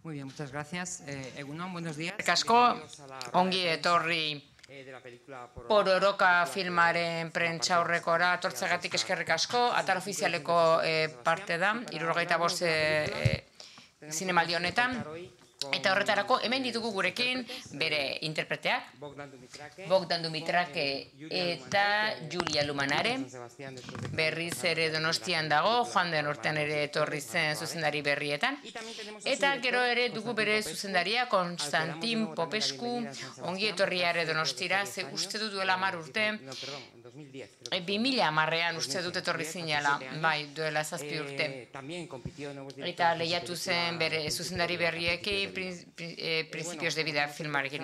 Muy bien, muchas gracias. Egunon, buenos días. Asko, ongi etorri Pororoka filmaren prentsaurrekora tortzegatik eskerrik asko. Atal ofizialeko parte da, 75 zinemaldi honetan. Eta horretarako hemen ditugu gurekin bere interpreteak, Bogdan Dumitrake eta Julia Lumanare. Berriz ere Donostian dago, joan den urtean ere etorri zen zuzendari berrietan. Eta gero ere dugu bere zuzendaria Konstantin Popescu, ongi etorria ere Donostira, ze uste dut duela 10 urte, 2010an uste dut etorri zinela, bai, duela 7 urte. Eta lehiatu zen bere zuzendari berriekin, Principios de vida filmarekin.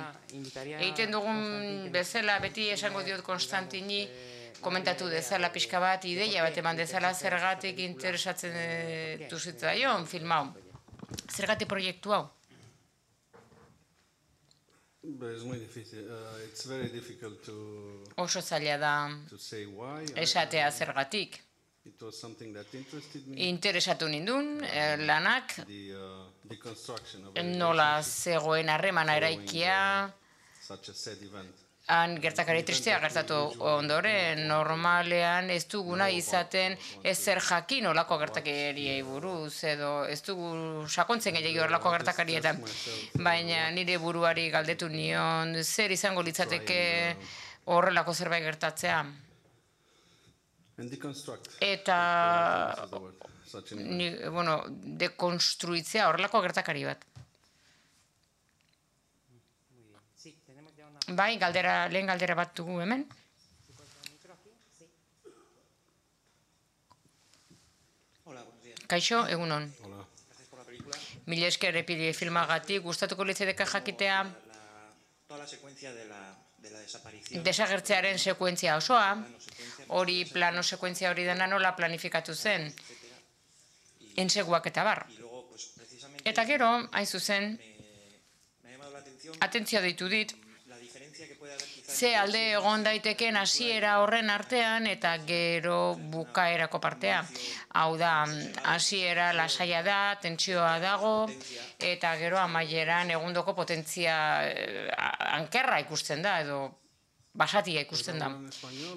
Egiten dugun bezala, beti esango diot Konstantini, komentatu dezala pixka bat, ideia bat eman dezala zergatik interesatzen duzitzaion film hau. Zergatik proiektu hau? Oso zaila da esatea zergatik. Interesatu nindun, lanak, nola zegoen harremana eraikia, han gertakari tristea gertatu ondoren, normalean ez duguna izaten ezer jakin olako gertakariei buruz, edo ez dugu sakontzen gehiago horrelako gertakarietan, baina nire buruari galdetu nion, zer izango litzateke horrelako zerbait gertatzea. Eta, dekonstruitzea horrelako gertakari bat. Bai, lehen galdera bat dugu hemen. Kaixo, egunon. Mila esker filmagatik, gustatuko litzaideke jakitea desagertzearen sekuentzia osoa, hori plano sekuentzia hori dena nola planifikatu zen, enseguak eta bar. Eta gero, hain zuzen, atentzioa deitu dit, ze alde egon daiteken hasiera horren artean eta gero bukaerako partea. Hau da, hasiera lasaia da, tentsioa dago, eta gero amaieran egundoko potentzia ankerra ikusten da, edo basatia ikusten da.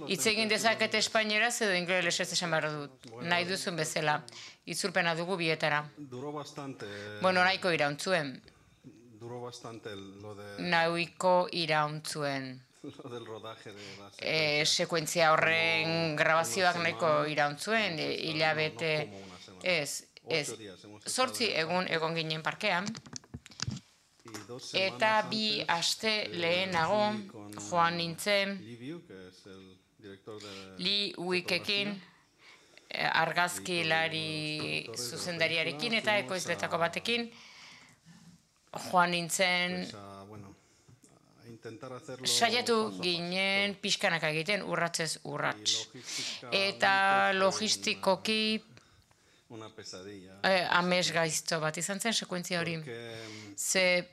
Hitz egin dezaket espainieraz edo ingelesez esan behar dut, nahi duzun bezala. Itzulpena dugu bietara. Nahiko irauntzuen. Nahiko irauntzuen. Sekuentzia horren grabazioak nahiko irauntzuen, hilabete, ez, 8 egun egon ginen parkean, eta 2 aste lehenago joan nintzen Lee Wickekin, argazkilari zuzendariarekin eta ekoizletako batekin, joan nintzen saiatu ginen pixkanaka egiten urratzez urrats. Eta logistikoki amesgaizto bat izan zen sekuentzia hori. Ze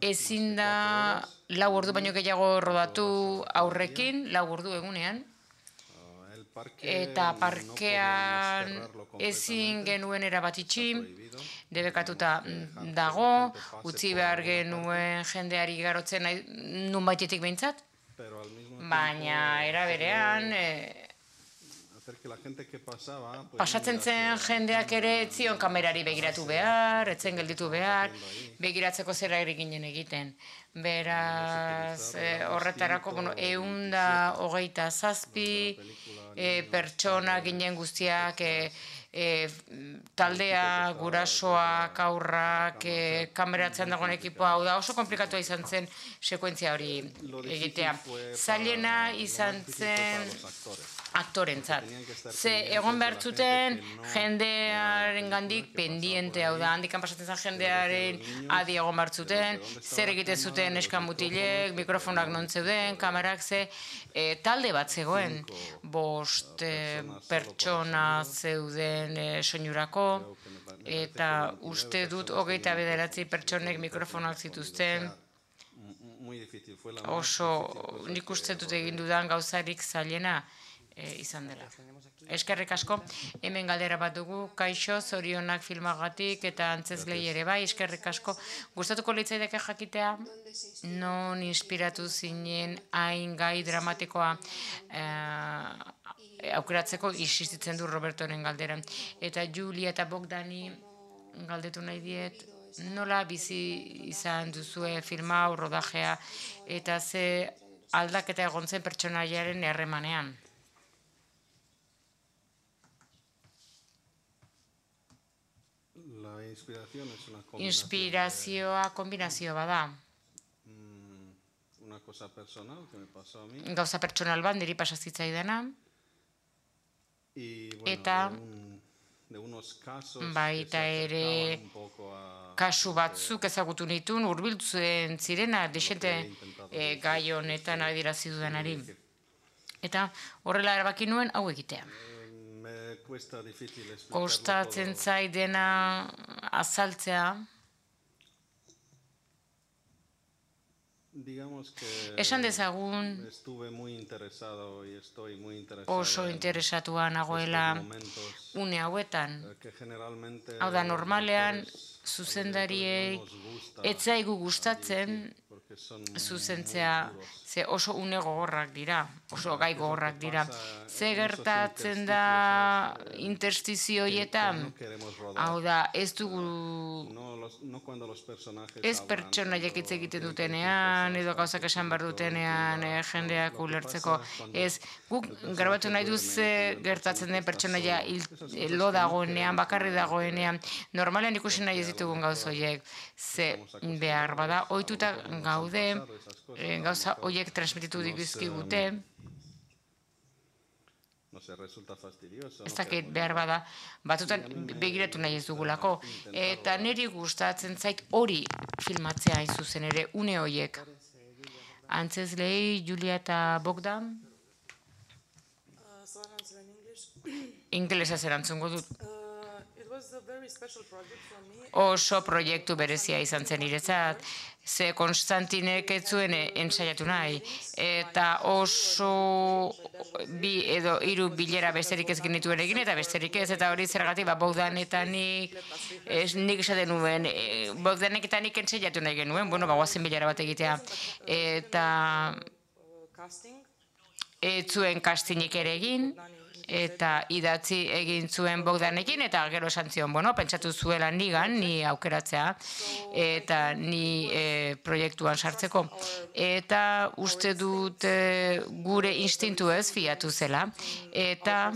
ezin da 4 ordu baino gehiago rodatu aurrekin, 4 ordu egunean. Eta parkean ezin genuen erabat itxi, debekatuta dago, utzi behar genuen jendeari igarotzen nunbaitetik behintzat, baina era berean pasatzen zen jendeak ere etzion kamerari begiratu behar, etzen gelditu behar, begiratzeko zera ginen egiten. Beraz, horretarako, 127 pertsona ginen guztiak, taldea, gurasoak, aurrak, kameratzen dagoen ekipoa, hau da oso komplikatua izan zen sekuentzia hori egitea. Zailena izan zen aktorentzat. Ze egon behar zuten jendearen gandik pendiente, hau da, handikan pasatzen zen jendearen adi egon behar zuten, zer egiten zuten eskan mutilek, mikrofonak non zeuden, kamerak ze, talde bat zegoen, 5 pertsona zeuden soinurako, eta uste dut 29 pertsonek mikrofonak zituzten, oso nik uste dut egin dudan gauzarik zailena, izan dela. Eskerrik asko, hemen galdera bat dugu, kaixo, zorionak filmagatik eta antzezlei ere bai, eskerrik asko. Gustatuko litzaidake jakitea, non inspiratu zinen hain gai dramatikoa aukeratzeko insistitzen du Robertoren galderan. Eta Julia eta Bogdani galdetu nahi diet, nola bizi izan duzue filma, rodajea, eta ze aldaketa egon zen pertsonaiaren erremanean. Inspirazioa kombinazio bada. Gauza pertsonal bat niri pasazitzaidana. Eta baita ere kasu batzuk ezagutu nituen hurbiltzen zirena desente gai honetan adierazi dudanari. Eta horrela erabaki nuen hau egitea. Kostatzen zait dena azaltzea. Esan dezagun oso interesatua nagoela une hauetan. Hau da, normalean zuzendariei ez zaigu gustatzen zuzentzea, ze oso une gogorrak dira, oso gai gogorrak dira. Ze gertatzen da interstizioietan? Hau da, ez dugu, ez pertsonaiek hitz egiten dutenean, edo gauzak esan behar dutenean jendeak ulertzeko. Ez, guk grabatu nahi duz gertatzen den pertsonaia lo dagoenean, bakarri dagoenean, normalean ikusi nahi ez ditugun gauz horiek, ze behar bada, ohituta gaude, gauza horiek transmititu dizkigute, ez dakit behar bada, batzutan begiratu nahi ez dugulako, eta niri gustatzen zait hori filmatzea hain zuzen ere, une horiek. Antzezlei, Julia eta Bogdan? Ingelesez erantzungo dut. Oso proiektu berezia izan zen niretzat, ze Konstantinek ez zuen ensaiatu nahi, eta oso bi edo hiru bilera besterik ez genituen egin, eta besterik ez, eta hori zergatik, Bogdan eta nik esaten nuen, Bogdanek eta nik ensaiatu nahi genuen, guazen bilera bat egitea, eta ez zuen castingik ere egin, eta idatzi egin zuen Bogdanekin, eta gero esan zion, pentsatu zuela nigan, ni aukeratzea, eta ni proiektuan sartzeko. Eta uste dut gure instintu ez fiatu zela, eta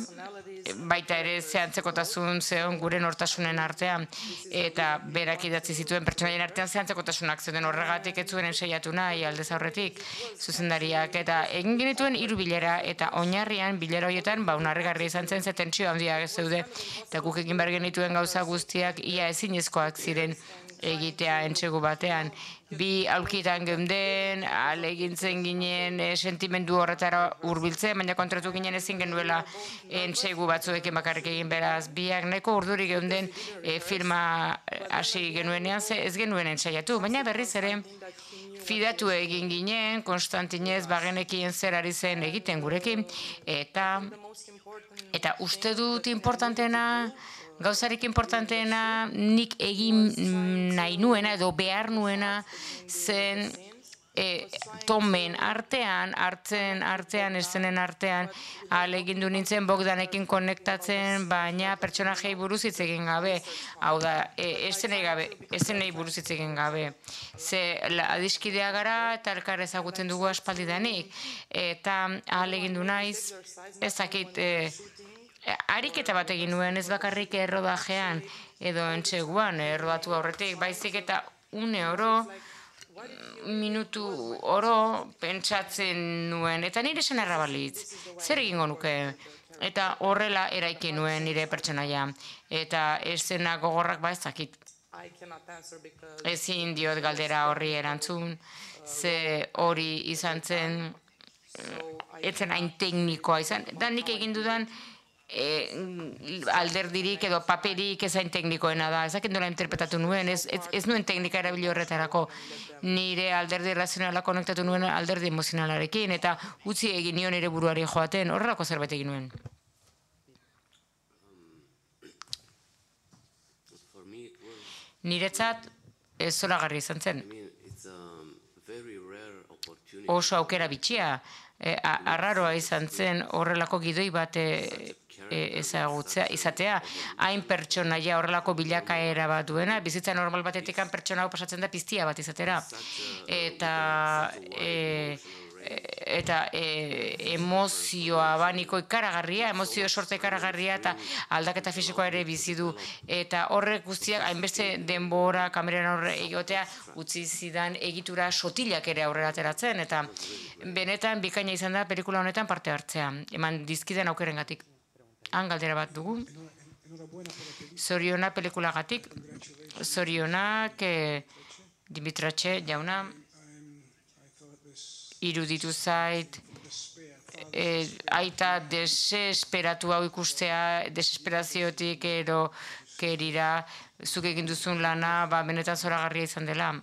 baita ere zehantzekotasun zeon gure nortasunen artean, eta berak idatzi zituen pertsonaien artean zehantzekotasunak zeuden horregatik ez zuen ensaiatu nahi aldez aurretik zuzendariak, eta egin genituen 3 bilera, eta oinarrian bilera horietan unarrigarria izan zen, ze tentsio handiak zeude, eta guk egin behar genituen gauza guztiak ia ezinezkoak ziren egitea entsegu batean. Bi aulkitan geunden, alegintzen ginen sentimendu horretara hurbiltzen, baina kontratu ginen ezin genuela entsegu batzuekin bakarrik egin, beraz, biak nahiko urduri geunden filma hasi genuenean, ez genuen ensaiatu, baina berriz ere fidatu egin ginen, Konstantinez bagenekien zer ari zen egiten gurekin, eta uste dut importanteena, gauzarik importanteena nik egin nahi nuena edo behar nuena zen tomen artean, eszenen artean, alegindu nintzen Bogdanekin konektatzen, baina pertsonajei buruz hitz egin gabe, hau da, eszenei buruz hitz egin gabe. Ze adiskidea gara eta elkar ezagutzen dugu aspaldidanik, eta alegindu naiz, ezakit, ariketa bat egin nuen, ez bakarrik errodajean, edo entseguan, errodatu aurretik, baizik eta une oro, minutu oro pentsatzen nuen, eta nire esan errabalitz, zer egingo nuke, eta horrela eraiki nuen nire pertsonaia, eta eszena gogorrak ezakit. Ezin diot galdera horri erantzun, ze hori izan zen, etzen hain teknikoa izan, da nik egin dudan alderdirik edo paperik ezain teknikoena da. Ez dakit nola interpretatu nuen, ez nuen teknika erabili horretarako. Nire alderdi razionala konektatu nuen alderdi emozionalarekin, eta utzi egin nion nire buruari joaten, horrelako zerbait egin nuen. Niretzat ez zoragarri izan zen. Oso aukera bitxia, arraroa izan zen horrelako gidoi bat ezagutzea, izatea, hain pertsonaia horrelako bilakaera bat duena, bizitza normal batetik pertsona hau pasatzen da piztia bat izatera. Eta emozioa baniko ikaragarria, emozio sorta ikaragarria eta aldaketa fisikoa ere bizi du. Eta horrek guztiak, hainbeste denbora kameran horre egotea, utzi zidan egitura sotilak ere aurrera ateratzen, eta benetan bikaina izan da pelikula honetan parte hartzea, eman dizkiden aukerengatik. Han galdera bat dugu. Zoriona pelikulagatik, zorionak Dimitratxe jauna, iruditu zait, aita desesperatu hau ikustea, desesperaziotik ero kerira, zuk egin duzun lana, benetan zoragarria izan dela.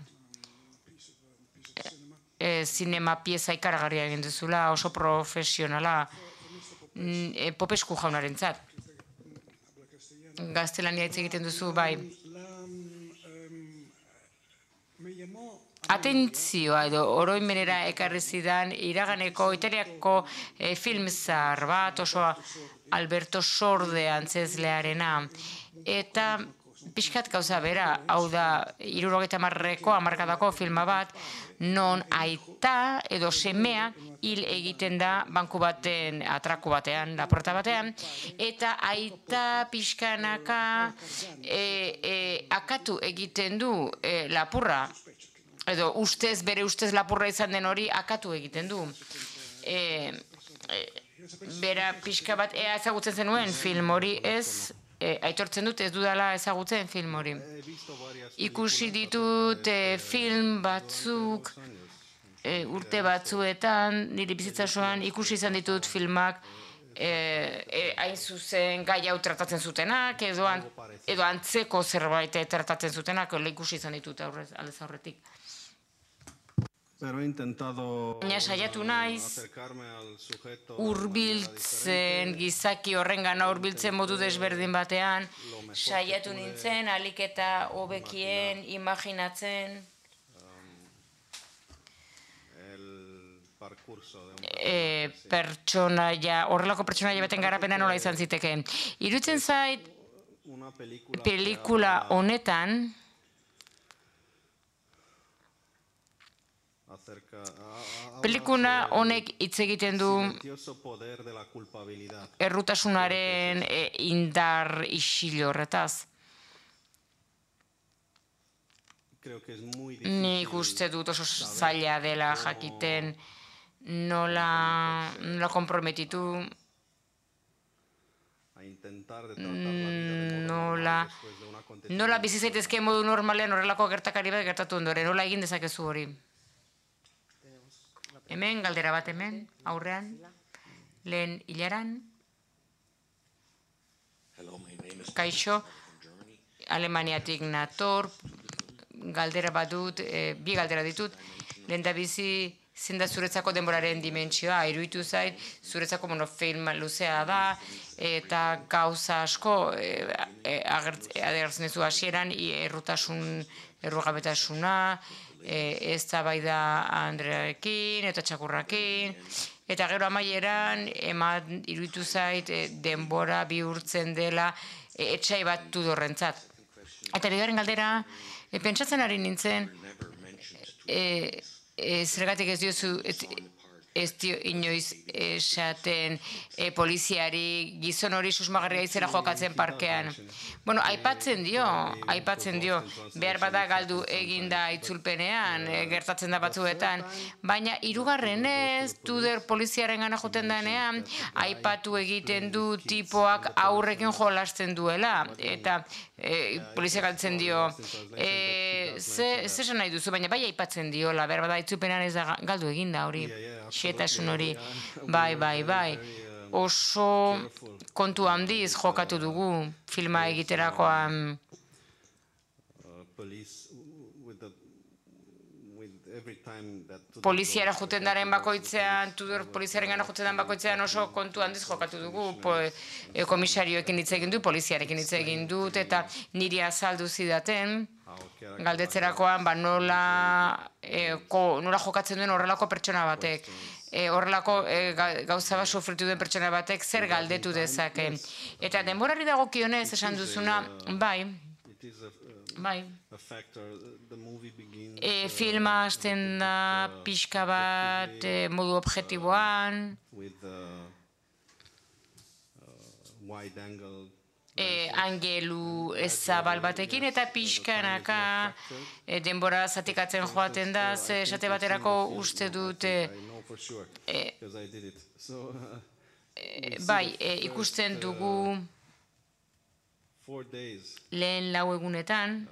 Zinema pieza ikaragarria egin duzula, oso profesionala, Popesku jaunarentzat. Gaztelania hitz egiten duzu, bai. Atentzioa edo oroimenera ekarri zidan iraganeko italiako film zahar bat, oso Alberto Sorde antzezlearena. Eta pixkat gauza bera, hau da 70ko hamarkadako filma bat, non aita edo semea hil egiten da banku baten, atraku batean, laporta batean, eta aita pixkanaka akatu egiten du lapurra, edo bere ustez lapurra izan den hori akatu egiten du. Bera pixka bat ezagutzen zenuen film hori ez, aitortzen dut ez dudala ezagutzen film hori. Ikusi ditut film batzuk urte batzuetan, nire bizitza osoan ikusi izan ditut filmak hain zuzen gai hau tratatzen zutenak, edo antzeko zerbait tratatzen zutenak, ikusi izan ditut aldez aurretik. Baina saiatu naiz, hurbiltzen, gizaki horrengana hurbiltzen modu desberdin batean, saiatu nintzen, ahalik eta hobekien, imaginatzen, horrelako pertsonaia baten garapena nola izan zitekeen. Iruditzen zait, pelikula honetan, pelikula honek hitz egiten du errutasunaren indar isil horretaz. Nik uste dut oso zaila dela jakiten nola konprometitu, nola bizi zaitezke modu normalean horrelako gertakari bat gertatu ondoren, nola egin dezakezu hori. Hemen, galdera bat hemen, aurrean, lehen hilaran. Kaixo, Alemaniatik nator, galdera bat dut, bi galdera ditut, lehen da bizi zein da zuretzako denboraren dimentsioa, iruditu zait, zuretzako monofilm luzea da, eta gauza asko agertzen duzu hasieran, errugabetasuna, eztabaida Andrearekin eta txakurrakin, eta gero amaieran iruditu zait denbora bihurtzen dela etxai bat Tudorrentzat. Eta bigarren galdera, pentsatzen ari nintzen, zergatik ez dio inoiz esaten poliziari gizon hori susmagarria izera jokatzen parkean. Bueno, aipatzen dio, behar bada galdu eginda itzulpenean, gertatzen da batzuetan, baina hirugarrenez, Tudor poliziaren gana joten denean, aipatu egiten du tipoak aurrekin jolasten duela, eta polizia galtzen dio, zesan nahi duzu, baina bai aipatzen diola, behar bada itzulpenean ez da galdu eginda hori. Xetasun hori, bai. oso kontu handiz jokatu dugu filma egiterakoan. Poliziara juten daren bakoitzean, Tudor poliziaren gana juten daren bakoitzean oso kontu handiz jokatu dugu. Komisarioekin hitz egin du, poliziarekin hitz egin dut, eta niri azaldu zidaten, galdetzerakoan, nola jokatzen duen horrelako pertsona batek. Horrelako gauza bat sufritu duen pertsona batek zer galdetu dezake. Eta denborari dagokionez esan duzuna, bai, filma hasten da pixka bat modu objektiboan, angelu zabal batekin, eta pixkanaka denbora zatikatzen joaten da, ze esate baterako uste dut bai, ikusten dugu lehen 4 egunetan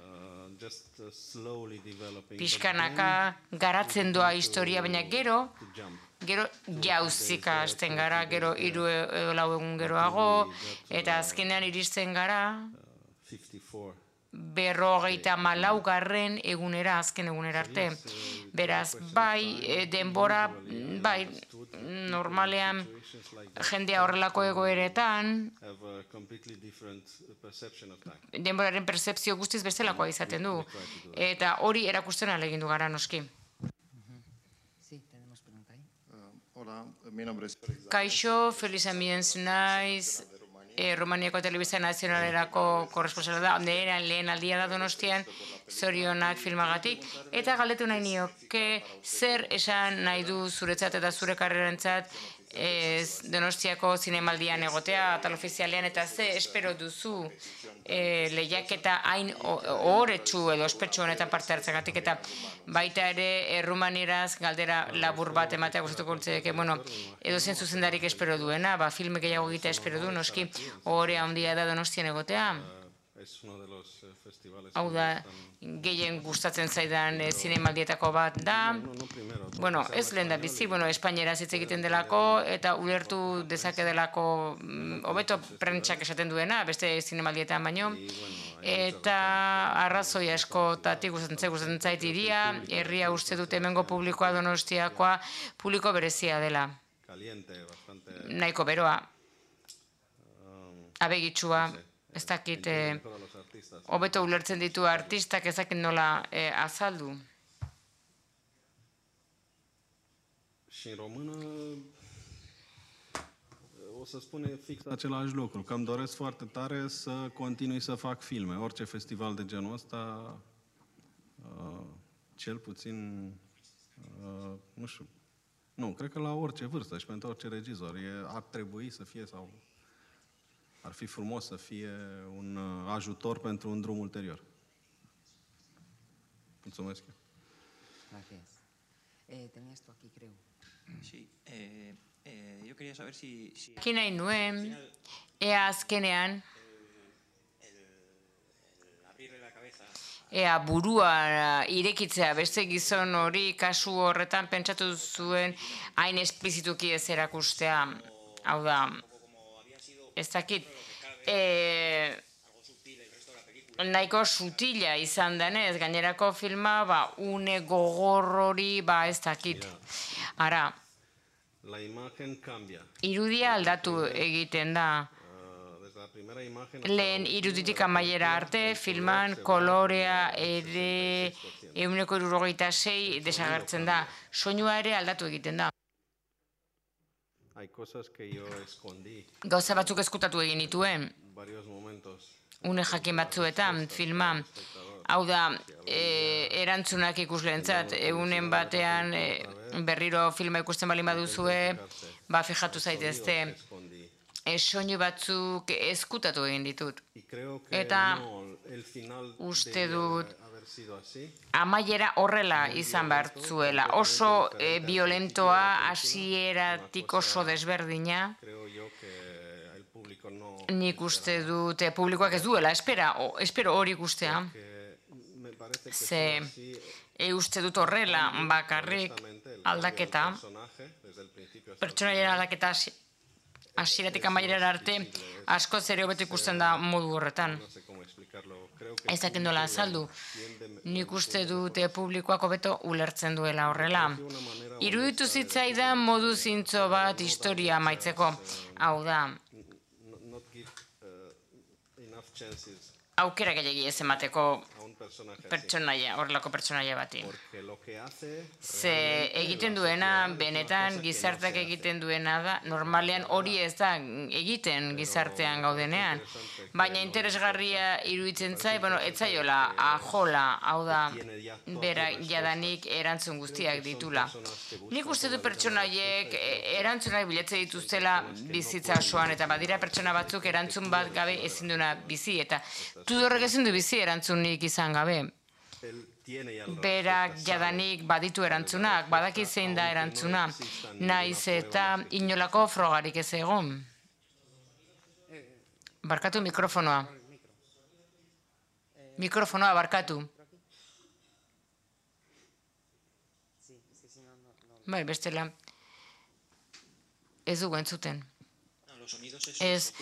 pixkanaka garatzen doa historia, baina gero jauzika hasten gara, gero 3-4 egun geroago, eta azkenean iristen gara 54. egunera, azken egunera arte. Beraz, bai, denbora, bai, normalean jendea horrelako egoeretan, denboraren percepzio guztiz bestelakoa izaten du. Eta hori erakusten ahalegindu gara, noski. Kaixo, Feliz Amiens naiz, Romaniako Telebista Nazionalerako korresponsala da, lehen aldia da Donostian, zorionak filmagatik, eta galdetu nahi nioke zer esan nahi du zuretzat eta zure karrerantzat Donostiako zinemaldian egotea, atal ofizialean, eta ze espero duzu lehiaketa hain ohoretsu edo ospetsu honetan parte hartzagatik, eta baita ere rumanieraz galdera labur bat ematea gustatuko litzaieke, edo zen zuzendarik espero duena, filme gehiago egitea espero du, noski ohore handia da Donostian egotea. Hau da, gehien gustatzen zaidan zinemaldietako bat da. Ez lehen da bizi, espainieraz hitz egiten delako, eta ulertu dezake delako hobeto prentsak esaten duena, beste zinemaldietan baino. Eta arrazoi askotatik gustatzen zait hiria, herria uste dut hemengo publikoa Donostiakoa publiko berezia dela. Nahiko beroa, abegitsua, ez dakit hobeto ulertzen ditu artistak, ez dakit nola azaldu. Și în română o să spune fix același lucru, că îmi doresc foarte tare să continui să fac filme. Orice festival de genul ăsta, cel puțin, nu știu, nu, cred că la orice vârstă și pentru orice regizor ar trebui să fie sau ar fi frumos să fie un ajutor pentru un drum ulterior. Mulțumesc. Gracias. Tenías tú aquí, creo. Sí, yo quería saber si... Ki nahi nuen, ea azkenean, ea burua irekitzea beste gizon hori kasu horretan pentsatu zuen hain esplizituki ez erakustea. Hau da, ez dakit, nahiko sutila izan denez, gainerako filma, une gogor hori, ez dakit. Ara, irudia aldatu egiten da. Lehen iruditik amaiera arte, filman kolorea ere 176 desagertzen da. Soinua ere aldatu egiten da. Gauza batzuk ezkutatu egin nituen, une jakin batzuetan, filma. Hau da, erantzunak ikusleentzat, egunen batean berriro filma ikusten baldin baduzue, fijatu zaitezte, soinu batzuk ezkutatu egin ditut. Eta uste dut amaiera horrela izan behar zuela. Oso violentoa, hasieratik oso desberdina. Nik uste dut publikoak ez duela, espero hori ikustea. Ze uste dut horrela bakarrik aldaketa, pertsonaiaren aldaketa hasieratik amaierara arte, asko ere hobeto ikusten da modu horretan. Ez dakit nola azaldu. Nik uste dute publikoak hobeto ulertzen duela horrela. Iruditu zitzaidan modu zintzo bat historia amaitzeko. Hau da, aukera gehiagi ez emateko horrelako pertsonaia bati. Ze egiten duena, benetan gizarteak egiten duena da, normalean hori ez da egiten gizartean gaudenean. Baina interesgarria iruditzen zai, ez zaiola, ajola, hau da, bera jadanik erantzun guztiak ditula. Nik uste du pertsonaiek erantzunak bilatzen dituztela bizitza osoan, eta badira pertsona batzuk erantzun bat gabe ezin duena bizi, eta Tudorrek ezin du bizi erantzunik izan gabe. Berak jadanik baditu erantzunak, badaki zein da erantzuna, naiz eta inolako frogarik ez egon. Barkatu mikrofonoa. Mikrofonoa barkatu. Bai, bestela. Ez dugu entzuten. Ez,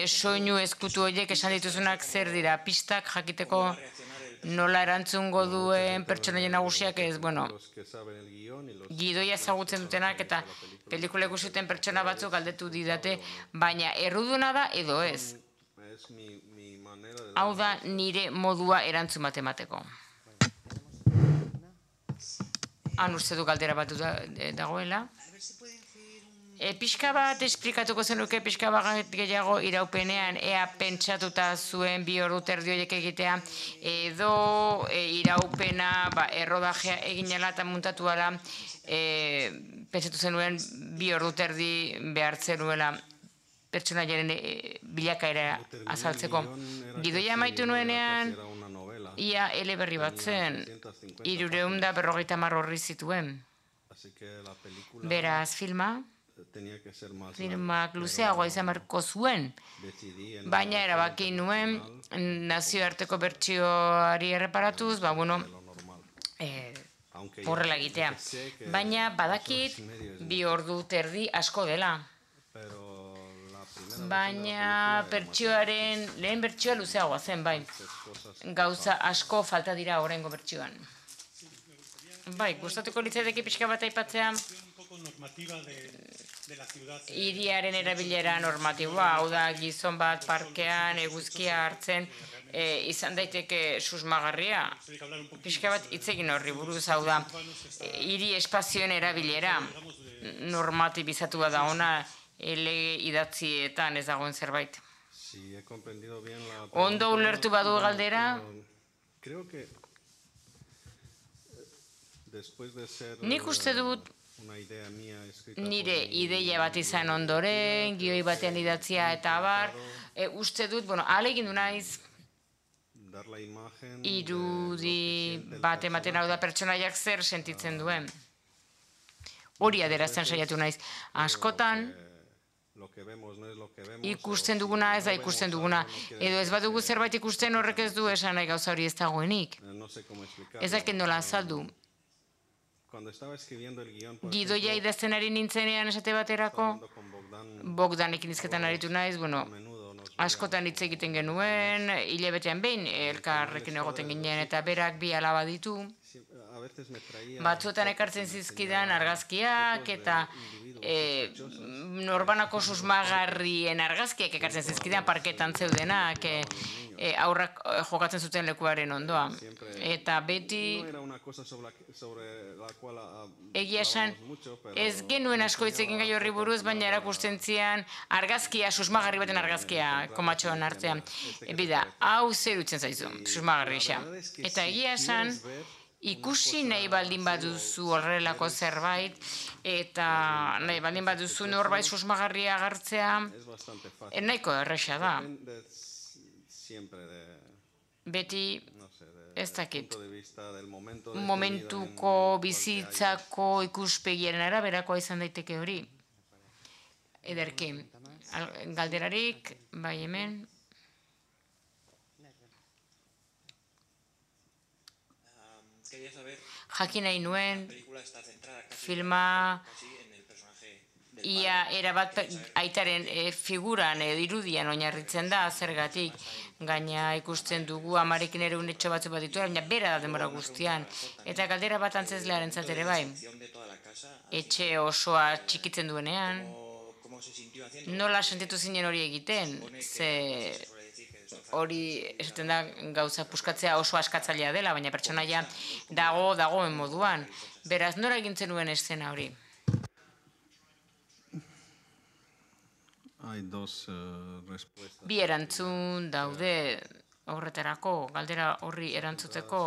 soinu ezkutu horiek esan dituzunak zer dira, pistak jakiteko nola erantzungo duen pertsonaia nagusiak ez, gidoia ezagutzen dutenak eta pelikula ikusiten pertsona batzuk galdetu didate, baina erruduna da edo ez. Hau da nire modua erantzun bat emateko. Han uste du galdera bat dagoela. Pixka bat esplikatuko zenuke, pixka bat gehiago iraupenean, ea pentsatuta zuen 2 ordu terdi horiek egitea, edo iraupena errodajea eginela eta muntatu ala, pentsatu zenuen 2 ordu terdi behartzen nuela pertsonaiaren bilakaera azaltzeko. Gidoia amaitu nuenean, ia eleberri bat zen, 350 orri zituen. Beraz, filmak luzeagoa izan beharko zuen, baina erabaki nuen nazioarteko bertsioari erreparatuz, horrela egitea. Baina badakit 2 ordu terdi asko dela. Baina lehen bertsioa luzeagoa zen, bai. Gauza asko falta dira oraingo bertsioan. Bai, gustatuko litzaidake pixka bat aipatzea hiriaren erabilera normatiboa, hau da gizon bat parkean eguzkia hartzen izan daiteke susmagarria. Pixka bat hitz egin horri buruz, hau da hiri espazioen erabilera normatibizatua da ona lege idatzietan ez dagoen zerbait. Ondo ulertu badu galdera? Nik uste dut nire ideia bat izan ondoren, gioi batean idatzia eta abar, uste dut, ahalegin du naiz, irudi bat ematen hau da pertsonaiak zer sentitzen duen. Hori adierazten saiatu naiz. Askotan, ikusten duguna ez da ikusten duguna. Edo ez badugu zerbait ikusten horrek ez du esan nahi gauza hori ez dagoenik. Ez dakit nola azaldu. Gidoia idazten ari nintzenean esate baterako, Bogdanekin hizketan aritu naiz, askotan hitz egiten genuen, hilabetean behin elkarrekin egoten ginen eta berak 2 alaba ditu. Batzuetan ekartzen zizkidan argazkiak eta norbanako susmagarrien argazkiak ekartzen zizkidan parketan zeudenak, aurrak jokatzen zuten lekuaren ondoan. Eta beti egia esan ez genuen asko hitz egin gai horri buruz, baina erakusten zian argazkia, susmagarri baten argazkia komatxoan artean. Bida, hau zer utzen zaizu, susmagarri isa. Eta egia esan ikusi nahi baldin baduzu horrelako zerbait, eta nahi baldin baduzu norbait susmagarria agertzea, nahiko erresa da. Beti, ez dakit, momentuko bizitzako ikuspegiaren araberakoa izan daiteke hori. Ederki, galderarik, bai hemen. Jakin nahi nuen, filma ia erabat aitaren figuran edo irudian oinarritzen da, zergatik gaina ikusten dugu amarekin ere unetxo batzu bat dituela, baina bera da denbora guztian. Eta galdera bat antzezlearentzat ere bai, etxe osoa txikitzen duenean, nola sentitu zinen hori egiten, ze hori esaten da gauza puskatzea oso askatzailea dela, baina pertsonaia dagoen moduan. Beraz, nora egintzen nuen eszena hori? Bi erantzun daude horretarako, galdera horri erantzuteko.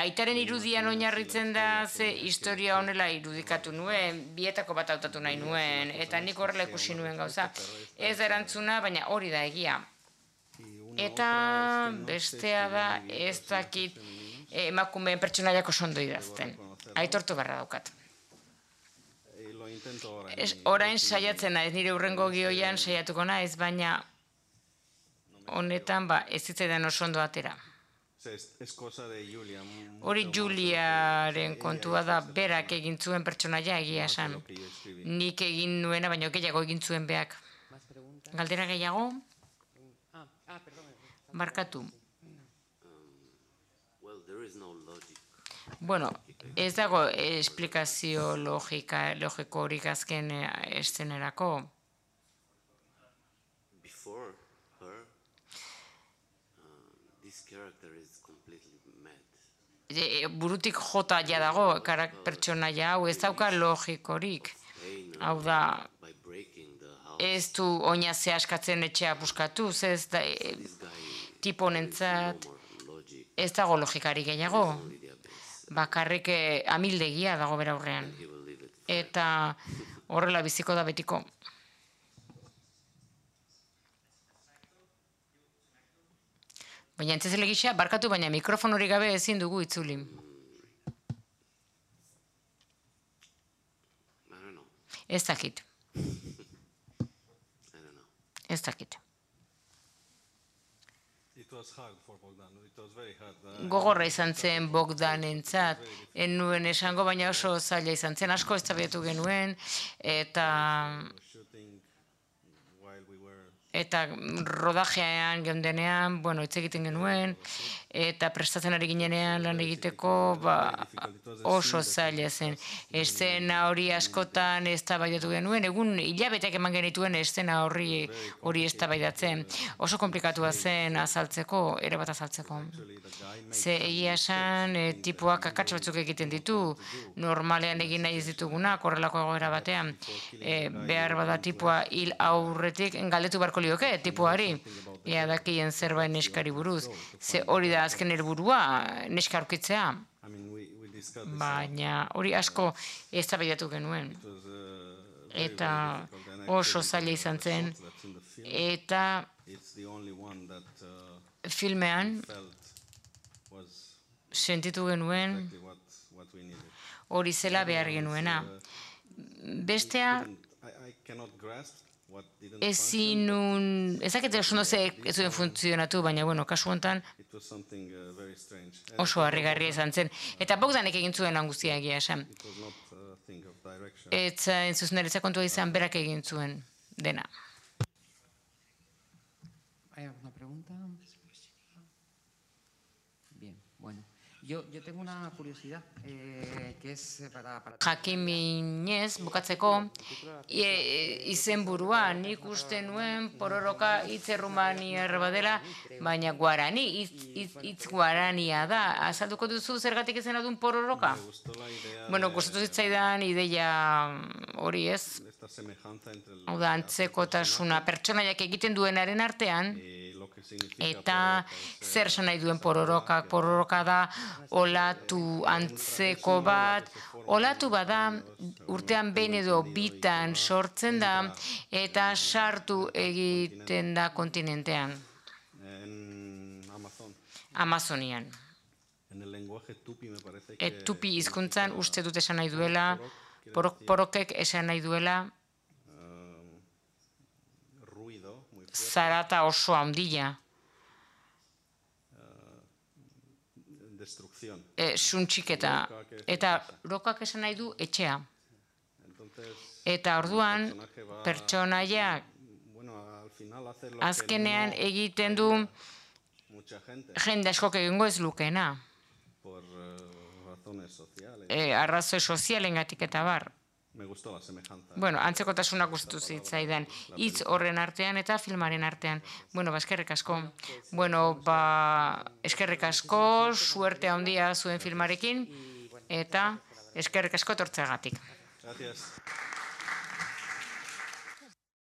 Aitaren irudian oinarritzen da ze historia honela irudikatu nuen, bietako bat hautatu nahi nuen, eta nik horrela ikusi nuen gauza. Ez da erantzuna, baina hori da egia. Eta bestea da ez dakit emakumeen pertsonaiak oso ondo idazten. Aitortu beharra daukat. Orain saiatzen naiz, nire hurrengo gioian saiatuko naiz, baina honetan ez zitzaidan oso ondo atera. Hori Juliaren kontua da, berak egin zuen pertsonaia egia esan. Nik egin nuena, baina gehiago egin zuen beak. Galdera gehiago? Barkatu. Bueno, ez dago esplikazio logiko horik azken eszenerako. Burutik jota ja dago, pertsonaia hau ez dauka logikorik. Hau da, ez du oinazea askatzen etxea buskatuz, ez da tipo honentzat ez dago logikari gehiago. Bakarrik amildegia dago bera aurrean. Eta horrela biziko da betiko. Baina entzezele gisa, barkatu, baina mikrofon hori gabe ezin dugu itzuli. Ez dakit. Ez dakit. Gogorra izan zen Bogdanentzat, en nuen esango, baina oso zaila izan zen, asko eztabaidatu genuen, eta rodajean geundenean, hitz egiten genuen, eta prestatzen ari ginenean lan egiteko oso zaila zen. Eszena hori askotan eztabaidatu genuen, egun hilabeteak eman genituen eszena hori eztabaidatzen. Oso komplikatua zen azaltzeko, erabat azaltzeko. Ze egia esan, tipuak akats batzuk egiten ditu, normalean egin nahi ez ditugunak, horrelako egoera batean, behar bada tipua hil aurretik, galdetu barko lioke tipuari, ea dakien zerbait neskari buruz. Ze hori da azken helburua, neska aurkitzea. Baina hori asko eztabaidatu genuen. Eta oso zaila izan zen. Eta filmean sentitu genuen hori zela behar genuena. Bestea ez dakit oso ez zuen funtzionatu, baina kasu honetan oso harrigarria izan zen. Eta Bogdanek egin zuen lan guztia egia esan. Eta zuzeneretza kontua izan berak egin zuen dena. ¿Hay alguna pregunta? Bien, bueno. Yo tengo una curiosidad, que es para... Jakiminez, bukatzeko, izenburua, nik uste nuen pororoka hitz errumaniar badela, baina guarani, hitz guarania da. Azalduko duzu zergatik izena duen pororoka? Gustatu zitzaidan ideia hori ez. Hau da, antzekotasuna pertsonaiak egiten duenaren artean, eta zer esan nahi duen pororoka. Pororoka da olatu antzeko bat, olatu bada urtean behin edo bitan sortzen da eta sartu egiten da kontinentean. Amazonian. Tupi hizkuntzan uste dut esan nahi duela, porokek esan nahi duela, zarata oso handia. Suntxiketa. Eta rokak esan nahi du etxea. Eta orduan, pertsonaiak azkenean egiten du jende askok egingo ez lukena. Arrazoi sozialengatik eta bar. Bueno, antzekotasunak gustu zitzaidan hitz horren artean eta filmaren artean. Bueno, eskerrik asko. Bueno, eskerrik asko, suerte handia zuen filmarekin eta eskerrik asko etortzeagatik. Gracias.